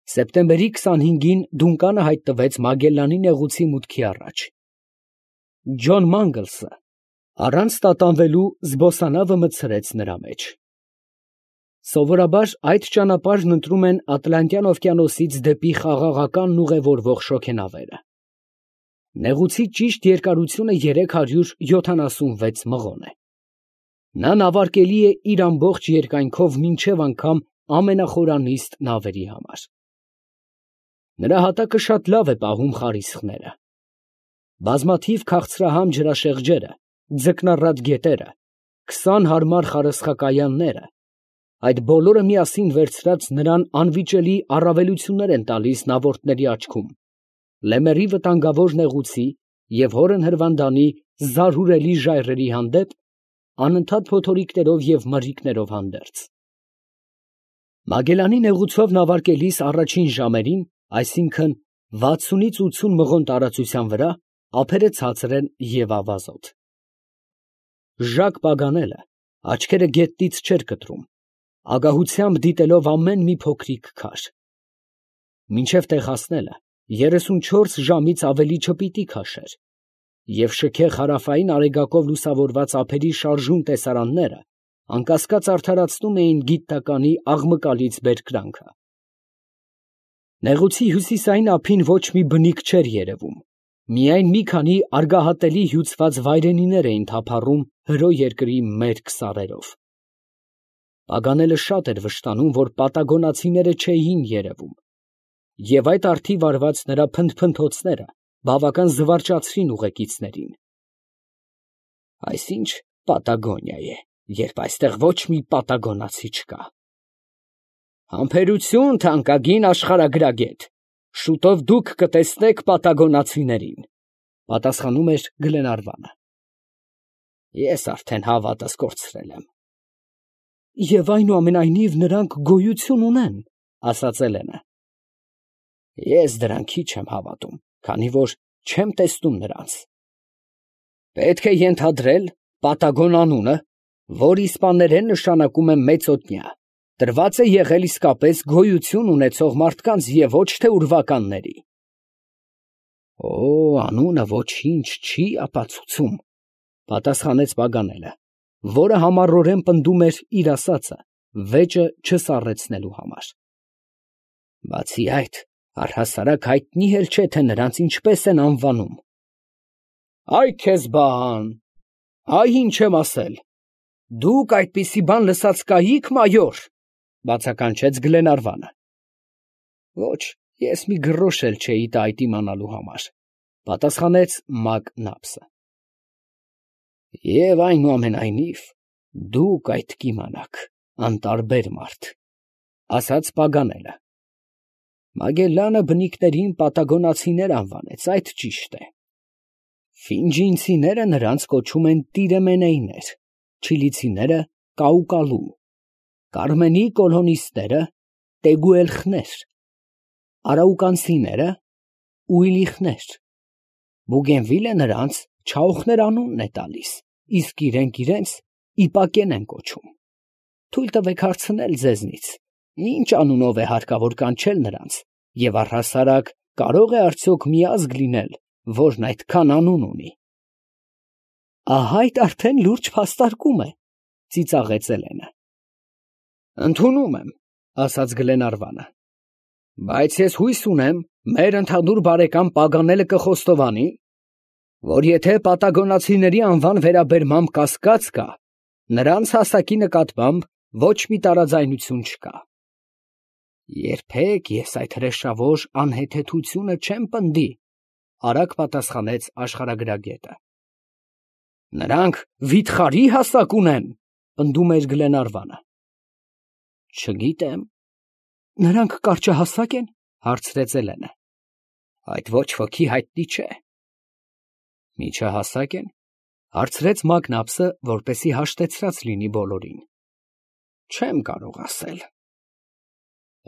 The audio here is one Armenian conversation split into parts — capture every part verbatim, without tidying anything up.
Սեպտեմբերի քսանհինգին դունկանը հայտնվեց Մագելլանի նեղուցի մուտքի առաջ։ Ջոն Մանգլսը առանց տատանվելու զբոսանավը մտցրեց նրա մեջ։ Սովորաբար այդ ճանապարհն ընտրում են Ատլանտյան օվկիանոսից դեպի Խաղաղականն ուղևորվող շոգենավերը։ Նեղուցի ճիշտ երկարությունը երեք հարյուր յոթանասունվեց մղոն է։ Նա նավարկելի է իր ամբողջ երկայնքով մինչև անգամ ամենախորանիստ նավերի համար։ Նրա հատակը շատ լավ է պահում խարիսխները։ Բազմաթիվ քաղցրահամ ջրաշեղջերը, ձկնառատ գետերը, քսան հարմար խարսխակայանները, այդ բոլորը միասին վերցրած նրան անվիճելի առավելություններ են տալիս նավորդների աչքում, լեմերի վտանգավոր նեղուցի և հորն հրվանդանի զարհուրելի ժայռերի հանդեպ, անընդհատ փոթորիկներով և մրրիկներով հանդերձ։ Մագելանի նեղուցով նավարկելիս առաջին ժամերին, այսինքն վաթսունից ութսուն մղոն տարածության վրա, ափերը ցածր են և ավազոտ։ Ժակ Պագանելը աչքերը գետնից չէր կտրում, ագահությամբ դիտելով ամեն մի փոքրիկ քար։ Մինչև տեղ հասնելը երեսունչորս ժամից ավելի չպիտի քաշեր, և շքեղ հարավային արեգակով լուսավորված ափերի շարժուն տեսարանները անկասկած արդարացնում էին գիտնականի աղմկալից բերկրանքը։ Նեղուցի հյուսիսային ափին ոչ մի բնիկ չէր երևում, միայն մի քանի արգահատելի հյուծված վայրենիներ էին թափառում հրո երկրի մերկ սարերով։ Պագանելը շատ էր վշտանում, որ պատագոնացիները չէին երևում, և այդ արդի վարված նրա փնթփնթոցները բավական զվարճացրին ուղեկիցներին։ Այս ի՞նչ Պատագոնիա է, երբ այստեղ ոչ մի պատագոնացի չկա։ Համբերություն, թանկագին աշխարհագրագետ, շուտով դուք կտեսնեք պատագոնացիներին, պատասխանում էր Գլենարվանը։ Ես արդեն հավատս կորցրել եմ։ Եվ այնուամենայնիվ նրանք գոյություն ունեն, ասաց Էլենը։ Ես դրան քիչ եմ հավատում, քանի որ չեմ տեսնում նրանց։ Պետք է ենթադրել Պատագոն անունը, որ իսպաներեն նշանակում է մեծօդնյա, տրված է եղել իսկապես գոյություն ունեցող մարդկանց և ոչ թե ուրվականների։ Օ, անունը ոչինչ չի ապացուցում, պատասխանեց Պագանելը, որը համառորեն պնդում էր իր ասածը, վեճը չսառեցնելու համար։ Բացի այդ, առհասարակ հայտնի էլ չէ, թե նրանց ինչպես են անվանում։ Այ քեզ բան, այ ինչ եմ ասել, դուք այդպիսի բան լսած կայի՞ք, մայոր, բացականչեց Գլենարվանը։ Ոչ, ես մի գրոշ էլ չէի տա այդ իմանալու համար, պատասխանեց Մակնապսը։ Եվ այնուամենայնիվ, դուք այդ կիմանաք, անտարբեր մարդ, ասաց Պագանելը։ Մագելլանը բնիկներին պատագոնացիներ անվանեց, այդ ճիշտ է։ Ֆինջինցիները նրանց կոչում են տիրեմենեյներ, չիլիցիները կաուկալու, կարմենի կոլոնիստները տեգուելխներ, արաուկանցիները ուիլիխներ, Բուգենվիլը նրանց չաուխներ անունն է տալիս, իսկ իրենք իրենց իպակեն են կոչում։ Թույլ տվեք հարցնել ձեզնից, ինչ անունով է հարկավոր կանչել նրանց, և առհասարակ կարող է արդյոք մի ազգ լինել, որն այդքան անուն ունի։ Ահա այդ արդեն լուրջ փաստարկում է, ծիծաղեց Էլենը։ Ընդունում եմ, ասաց Գլենարվանը, բայց ես հույս ունեմ, մեր ընդհանուր բարեկամ Պագանելը կխոստովանի, որ եթե պատագոնացիների անվան վերաբերմամբ կասկած կա, նրանց հասակի նկատմամբ ոչ մի տարաձայնություն չկա։ Երբեք ես այդ հրեշավոր անհեթեթությունը չեմ պնդի, արագ պատասխանեց աշխարհագրագետը։ Նրանք վիթխարի հասակ ունեն, պնդում էր Գլենարվանը։ Չգիտեմ, նրանք կարճահասակ են, հարցրեց Էլենը։ Այդ ոչ ոքի հայտնի չէ։ Միջահասակ են, հարցրեց Մակնապսը, որպեսզի հաշտեցրած լինի բոլորին։ Չեմ կարող ասել։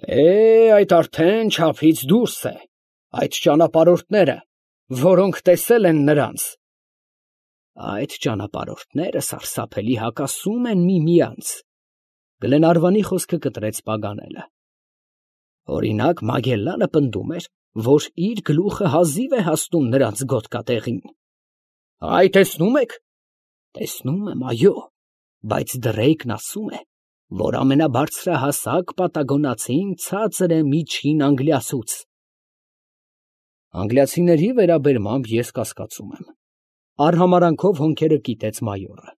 Է, այդ արդեն չափից դուրս է, այդ ճանապարհորդները, որոնք տեսել են նրանց։ Այդ ճանապարհորդները սարսափելի հակասում են միմյանց, Գլենարվանի խոսքը կտրեց Պագանելը։ Օրինակ, Մագելլանը պնդում էր, որ իր գլուխը հազիվ է հասնում նրանց գոտկատեղին։ Այ տեսնում եք։ Տեսնում եմ, այո, բայց Դրեյկն ասում է, որ ամենաբարձրահասակ պատագոնացին ցածր է միջին անգլիացուց։ Անգլիացիների վերաբերմամբ ես կասկածում եմ։ Արհամարանքով հոնքերը կիտեց մայորը։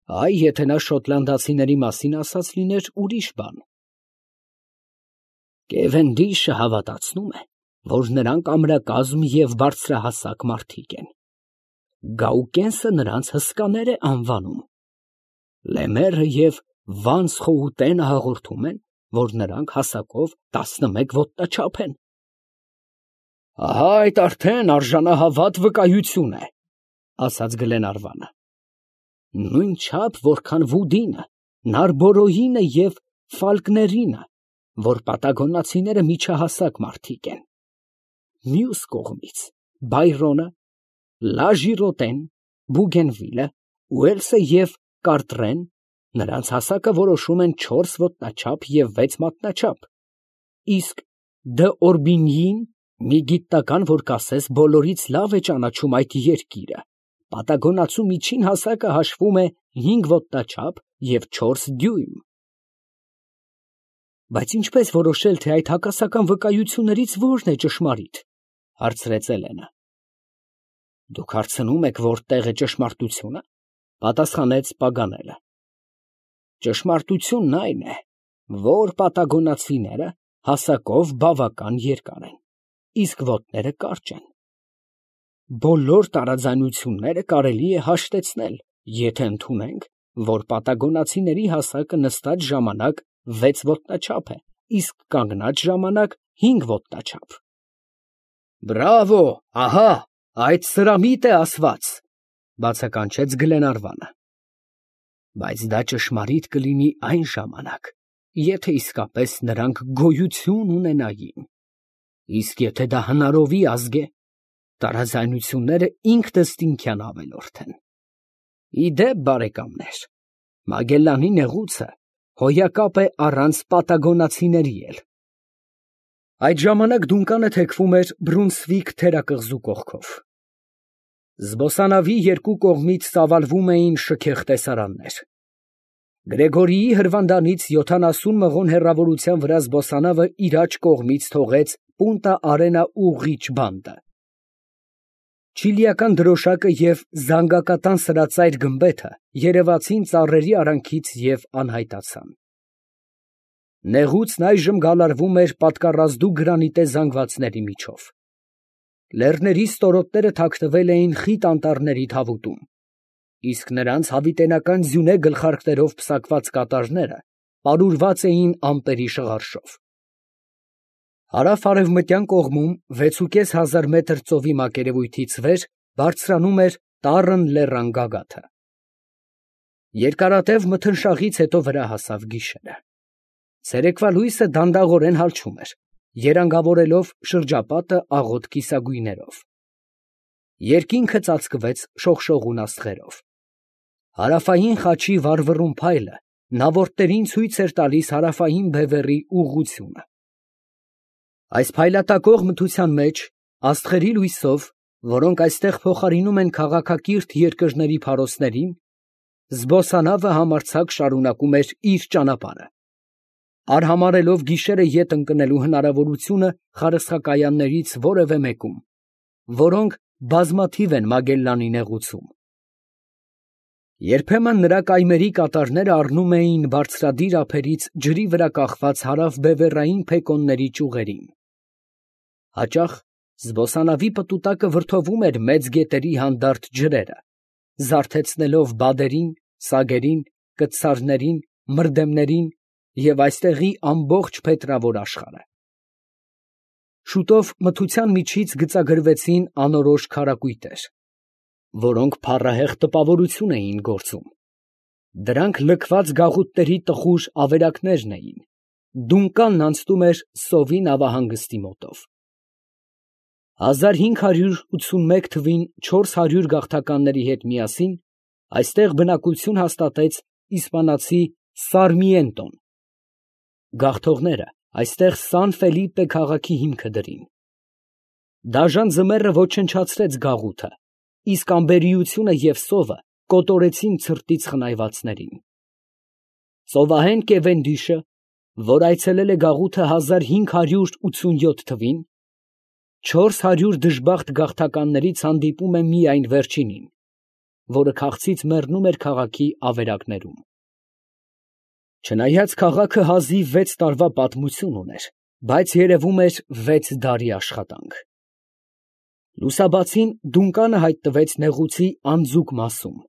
Այ, եթե նա շոտլանդացիների մասին ասած լիներ, ուրիշ բան։ Կևենդիշը հավատացնում է, որ նրանք ամրակազմ և բարձրահասակ մարդիկ են։ Գաուկենսը նրանց հսկաներ է անվանում։ Լեմերը և Վանսխոուտենը հաղորդում են, որ նրանք հասակով տասնմեկ ոտնաչափ են։ Ահա այդ արդեն արժանահավատ վկայություն է, ասաց Գլենարվանը։ Նույն չափ, որքան Վուդինը, Նարբորոյինը և Ֆալկներինը, որ պատագոնացիները միջահասակ մարդիկ են։ Մյուս կողմից Բայրոնը, Լաժիրոտեն, Բուգենվիլը, Ուելսը և Կարտրեն նրանց հասակը որոշում են չորս ոտնաչափ և վեց մատնաչափ, իսկ Դ'Օրբինիին մի գիտնական, որ կասես բոլորից լավ է ճանաչում այդ երկիրը, պատագոնացու միջին հասակը հաշվում է հինգ ոտնաչափ և չորս դյույմ։ Բայց ինչպես որոշել, թե այդ հակասական վկայություններից որն է ճշմարիտ, հարցրեց Էլենը։ Դուք հարցնում եք, որտեղ է ճշմարտությունը, պատասխանեց Պագանելը։ Ճշմարտությունն այն է, որ պատագոնացիները հասակով բավական երկար են, իսկ ոտները կարճ են։ Բոլոր տարաձայնությունները կարելի է հաշտեցնել, եթե ընդունենք, որ պատագոնացիների հասակը նստած ժամանակ վեց ոտնաչափ է, իսկ կանգնած ժամանակ հինգ ոտնաչափ։ Բրավո, ահա, այդ սրամիտ է ասված, բացականչեց Գլենարվանը։ Բայց դա ճշմարիտ կլինի այն ժամանակ, եթե իսկապես նրանք գոյություն ունենային, իսկ եթե դա հնարովի ազգ է, տարաձայնությունները ինքնըստինքյան ավելորդ են։ Ի դեպ, բարեկամներ, Մագելլանի նեղուցը հոյակապ է առանց պատագոնացիների էլ։ Այդ ժամանակ Դունկանը թեքվում էր Բրունսվիկ թերակղզու կողքով։ Զբոսանավի երկու կողմից ծավալվում էին շքեղ տեսարաններ։ Գրեգորիի հրվանդանից յոթանասուն մղոն հեռավորության վրա զբոսանավը իր աջ կողմից թողեց Պունտա Արենա ուղղիչ բանդը։ Չիլիական դրոշակը և զանգակատան սրածայր գմբեթը երևացին ծառերի արանքից և անհայտացան։ Նեղուցն այժմ գալարվում էր պատկառազդու գրանիտե զանգվածների միջով։ Լեռների ստորոտները թաքնվել էին խիտ անտառների թավուտում, իսկ նրանց հավիտենական ձյունե գլխարկներով պսակված կատարները պարուրված էին ամպերի շղարշով։ Հարավ֊արևմտյան կողմում վեցուկես հազար մետր ծովի մակերևույթից վեր բարձրանում էր տառն լեռան գագաթը։ Երկարատև մթնշաղից հետո վրա հասավ գիշերը։ Ցերեկվա լույսը դանդաղորեն հալչում էր, երանգավորելով շրջապատը աղոտ կիսագույներով։ Երկինքը ծածկվեց շողշողուն աստղերով։ Հարավային խաչի վառվռուն փայլը նավորդներին ցույց էր տալիս հարավային բևեռի ուղղությունը։ Այս փայլատակող մթության մեջ, աստղերի լույսով, որոնք այստեղ փոխարինում են քաղաքակիրթ երկրների փարոսներին, զբոսանավը համարձակ շարունակում էր իր ճանապարհը, արհամարհելով գիշերը ետ ընկնելու հնարավորությունը խարսխակայաններից որևէ մեկում, որոնք բազմաթիվ են Մագելլանի նեղուցում։ Երբեմն նրա կայմերի կատարները առնում էին բարձրադիր ափերից ջրի վրա կախված հարավբևեռային փեկոնների ճյուղերին։ Հաճախ զբոսանավի պտուտակը վրդովում էր մեծ գետերի հանդարտ ջրերը, զարթեցնելով բադերին, սագերին, կտցարներին, մրդեմներին և այստեղի ամբողջ փետրավոր աշխարհը։ Շուտով մթության միջից գծագրվեցին անորոշ քարակույտեր, որոնք փառահեղ տպավորություն էին գործում։ Դրանք լքված գաղութների տխուր ավերակներն էին։ Դունկանն անցնում էր Սովի նավահանգստի մոտով։ հազար հինգ հարյուր ութսունմեկ թվին չորս հարյուր գաղթականների հետ միասին այստեղ բնակություն հաստատեց իսպանացի Սարմիենտոն։ Գաղթողները Այստեղ Սան Ֆելիպպե քաղաքի հիմքը դրին։ Դաժան ձմեռը ոչնչացրեց գաղութը, իսկ անբերիությունը և սովը կոտորեցին ցրտից խնայվածներին։ Ծովահեն Կևենդիշը, որ այցելել է գաղութը հազար հինգ հարյուր ութսունյոթ թվին, չորս հարյուր դժբախտ գաղթականներից հանդիպում է միայն վերջինին, որը քաղցից մեռնում էր քաղաքի ավերակներում։ Չնայած քաղաքը հազիվ վեց տարվա պատմություն ուներ, բայց երևում էր վեց դարի աշխատանք։ Լուսաբացին Դունկանը հայտնվեց նեղուցի անձուկ մասում։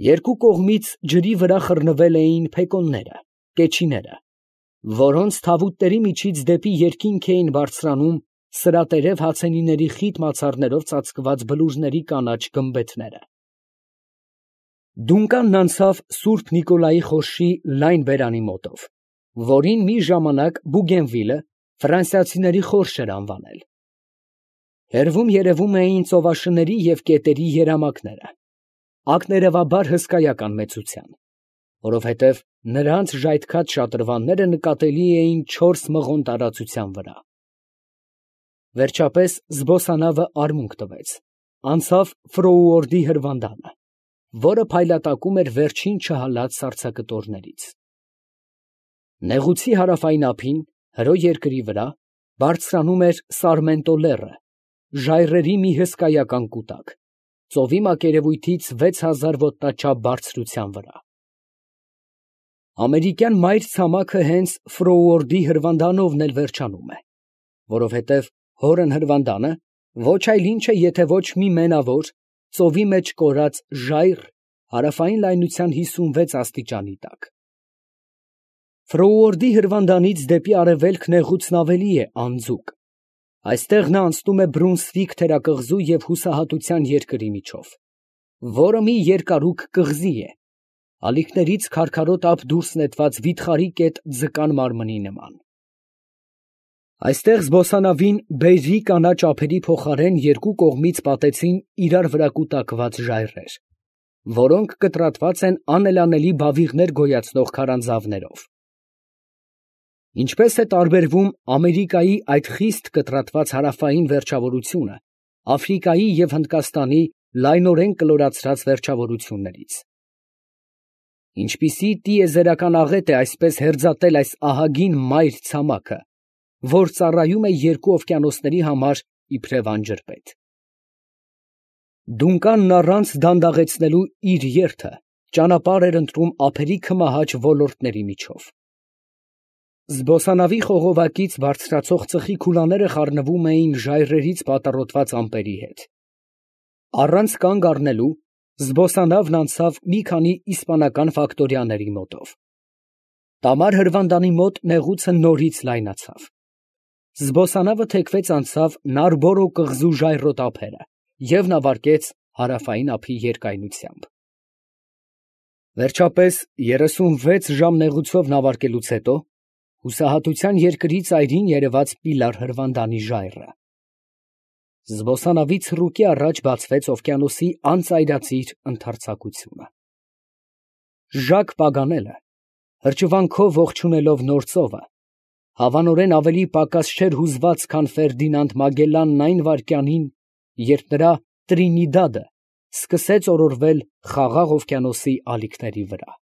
Երկու կողմից ջրի վրա խռնվել էին փեկոնները, կեչիները, որոնց թավուտների միջից դեպի երկինք էին բարձրանում սրատերև հացենիների խիտ մացառներով ծածկված բլուրների կանաչ գմբեթները։ Դունկանն անցավ Սուրբ Նիկոլայի խորշի լայն բերանի մոտով, որին մի ժամանակ Բուգենվիլը ֆրանսիացիների խորշ էր անվանել։ Հեռվում երևում էին ծովաշների և կետերի երամակները, ակներևաբար հսկայական մեծության, որովհետև նրանց ժայթքած շատրվանները նկատելի էին չորս մղոն տարածության վրա։ Վերջապես զբոսանավը արմունկ տվեց, անցավ Ֆրոուորդի հրվանդանը, որը փայլատակում էր վերջին չհալած սառցակտորներից։ Նեղուցի հարավային ափին, հրո երկրի վրա, բարձրանում էր Սարմենտո լեռը, ժայռերի մի հսկայական կուտակ, ծովի մակերևույթից վեց հազար ոտնաչափ բարձրության վրա։ Ամերիկյան մայր ցամաքը հենց Ֆրոուորդի հրվանդանովն էլ վերջանում է, որովհետև հորն հրվանդանը ոչ այլ ինչ է, եթե ոչ մի մենավոր, ծովի մեջ կորած ժայռ հարավային լայնության հիսունվեց աստիճանի տակ։ Ֆրոուորդի հրվանդանից դեպի արևելք նեղուցն ավելի է անձուկ, այստեղ նա անցնում է Բրունսվիկ թերակղզու և Հուսահատության երկրի միջով, որը մի երկարուկ կղզի է, ալիքներից քարքարոտ ափ դուրս նետված վիթխարի կետ ձկան մարմնի նման։ Այստեղ զբոսանավին բերրի կանաչ ափերի փոխարեն երկու կողմից պատեցին իրար վրա կուտակված ժայռեր, որոնք կտրատված են անելանելի բավիղներ գոյացնող քարանձավներով։ Ինչպես է տարբերվում Ամերիկայի այդ խիստ կտրատված հարավային վերջավորությունը Աֆրիկայի և Հնդկաստանի լայնորեն կլորացրած վերջավորություններից։ Ինչպիսի տիեզերական աղետ է այսպես հերձատել այս ահագին մայր ցամաքը, որ ծառայում է երկու օվկիանոսների համար իբրև անջրպետ։ Դունկանն առանց դանդաղեցնելու իր երթը ճանապարհ էր ընտրում ափերի քմահաճ ոլորտների միջով։ Զբոսանավի խողովակից բարձրացող ծխի քուլաները խառնվում էին ժայռերից պատառոտված ամպերի հետ։ Առանց կանգ առնելու զբոսանավն անցավ մի քանի իսպանական ֆակտորիաների մոտով։ Տամար հրվանդանի մոտ նեղուցը նորից լայնացավ։ Զբոսանավը թեքվեց անցավ Նարբորո կղզու ժայռոտ ափերը և նավարկեց հարավային ափի երկայնությամբ։ Վերջապես երեսունվեց ժամ նեղուցով նավարկելուց հետո Հուսահատության երկրի ծայրին երևաց Պիլար հրվանդանի ժայռը։ Զբոսանավից ռուկի առաջ բացվեց օվկիանոսի անծայրածիր ընդարձակությունը։ Ժակ Պագանելը, հրճվանքով ողջունելով նոր ծովը, հավանորեն ավելի պակաս չէր հուզված, քան Ֆերդինանդ Մագելլանն այն վայրկյանին, երբ նրա Տրինիդադը սկսեց օրորվել Խաղաղ օվկիանոսի ալիքների վրա։